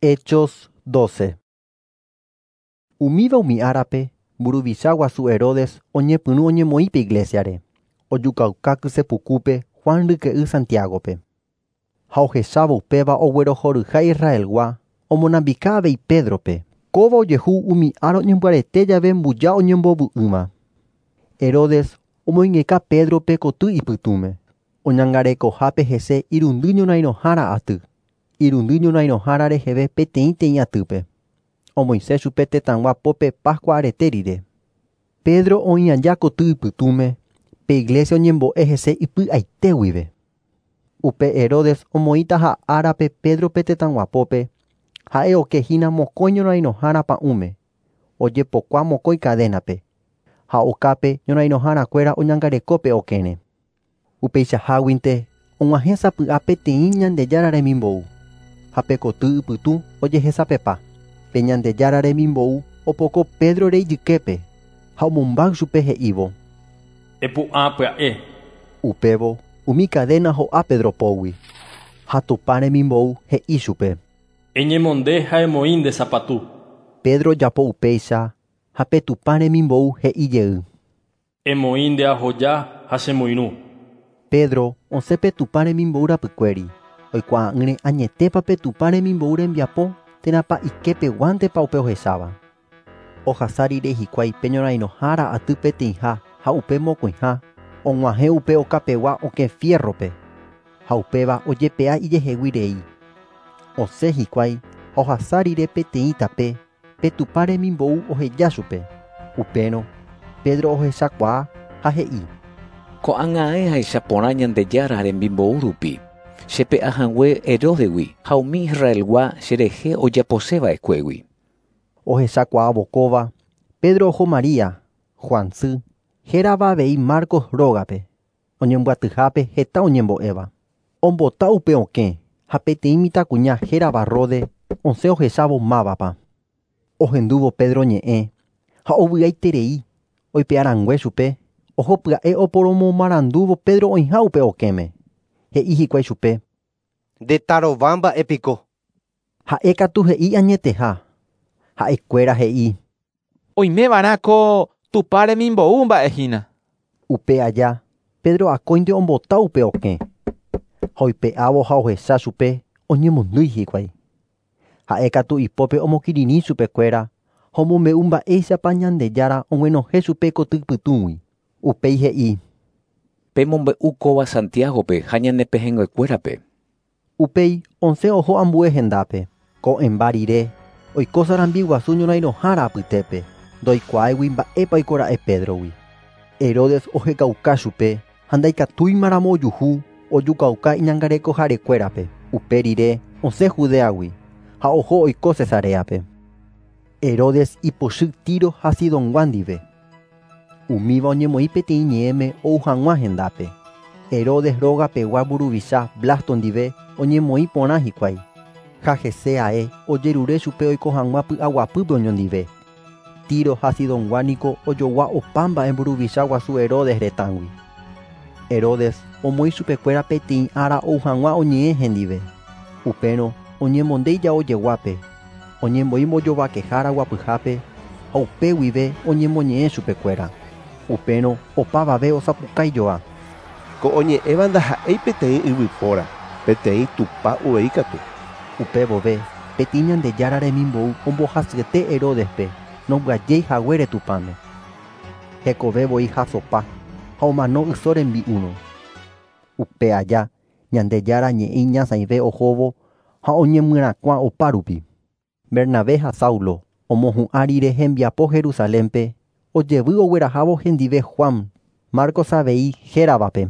Hechos 12. Umíva umi árape, mburuvicha guasu Herodes oñepyrũ oñemoĩ pe iglésiare, ojukauka kysepukúpe Juan ryke'y Santiagope. Ha ohechávo upéva oguerohoryha Israelgua, omonambika avei Pédrope. Kóva ojehu umi ára oñembyarete jave mbuja oñembovy'ỹva. Herodes omoingeka Pédrope koty ipytũme, oñangarekohápe hese irundy ñorairõhára aty, irundy ñorairõhára reheve peteĩteĩ atýpe. Omoisẽ chupe tetãgua pópe Pascua arete rire. Pedro oĩ aja koty ipytũme, pe iglesia oñembo'e hese ipy'aite guive. Upe Herodes omoĩtaha árape Pédrope tetãgua pópe, ha'e okehína mokõi ñorairõhára pa'ũme, ojepokua mokõi cadénape, ha okápe ñorairõharakuéra oñangarekópe okẽre. Upeichaháguinte og̃uahẽ sapy'a peteĩ Ñandejára remimbou, ha pe koty ypytũ ojehesapepa. Pe Ñandejára remimbou opoko Pédrore ijyképe ha omombáy chupe he'ívo. Epu'ã pya'e. Upévo umi cadena ho'a Pedro pógui, ha Tupã remimbou he'i chupe. Eñemonde ha emoĩ nde sapatu. Pedro ojapo upéicha ha pe Tupã remimbou he'i jey. Emoĩ nde ahoja ha chemoirũ. Pedro osẽ pe Tupã remimbou rapykuéri, oikuaa'ỹre añetépa pe Tupã remimbou rembiapo térãpa iképeguántepa upe ohecháva. Ohasa rire hikuái pe ñorairõhára aty peteĩha ha upe mokõiha, og̃uahẽ upe okapegua okẽ fiérrope, ha upéva ojepe'a ijehegui rei. Osẽ hikuái ha ohasa rire peteĩ tape, pe Tupã remimbou oheja chupe. Upérõ Pedro ohechakuaa ha he'i. Ko'ág̃a ahecha porã Ñandejára remimbou rupi. Chepe'ahague Heródegui ha umi Israelgua cherehe ojaposeva'ekuégui. Ohechakuaávo kóva, Pedro oho María, Juan sy, hérava avei Marcos rógape, oñembyatyhápe heta oñembo'éva. Ombota upe okẽ ha peteĩ mitãkuña hérava Rode osẽ ohechávo mávapa. Ohendúvo Pedro ñe'ẽ ha ovy'aiterei oipe'arãngue chupe, oho pya'e oporomomarandúvo Pedro oĩha upe okẽme. He'i hikuái chupe. Ndetarova mba'épiko. Ha'e katu he'i añeteha. Ha'ekuéra he'i. Oimeva'erãko Tupã remimbou mba'ehína. Upe aja, Pedro akóinte ombota upe okẽ. Ha oipe'ávo ha ohecha chupe oñemondýi hikuái. Ha'e katu ipópe omokirirĩ chupekuéra ha omombe'u mba'éichapa Ñandejára og̃uenohẽ chupe koty pytũgui. Upéi he'i. Pemombe'u kóva Santiagope ha ñane pehẽnguekuérape. Upéi osẽ oho ambue hendápe. Ko'ẽmba rire, oiko sarambi guasu ñorairõhára apytépe, ndoikuaáigui mba'épa oikora'e Pédrogui. Herodes ohekauka chupe ha ndaikatúimaramo ojuhu ojukauka iñangarekoharekuérape. Upe rire osẽ Judeagui ha oho oiko Cesareape. Herodes ipochy Tiro ha Sidongua ndive. Umíva oñemoĩ peteĩ ñe'ẽme ou hag̃ua hendápe. Herodes rógapegua mburuvicha Blasto ndive oñemoĩ porã hikuái. Ha hese ae ojerure chupe oiko hag̃ua py'aguapýpe oñondive. Tiro ha Sidongua niko ojogua opa mba'e mburuvicha guasu Herodes retãgui. Herodes omoĩ chupekuéra peteĩ ára ou hag̃ua oñe'ẽ hendive. Upérõ oñemonde ijao jeguápe, oñembo'i mbojovakehára guapyhápe ha upe guive oñemoñe'ẽ chupekuéra. Upérõ opavave osapukaijoa. Ko oñe'ẽva ndaha'éi peteĩ yvypóra, peteĩ Tupã uvei katu. Upe vove, peteĩ Ñandejára remimbou ombohasyete Heródespe nombyajéi haguére Tupãme. Hekove voi hasopa ha omano yso rembi'úrõ. Upe aja, Ñandejára ñe'ẽ iñasãive ohóvo ha oñemyrakuã opárupi. Bernabé ha Saulo omohu'ã rire hembiapo Jerusalénpe, ojevy oguerahávo hendive Juan, Marcos avei héravape.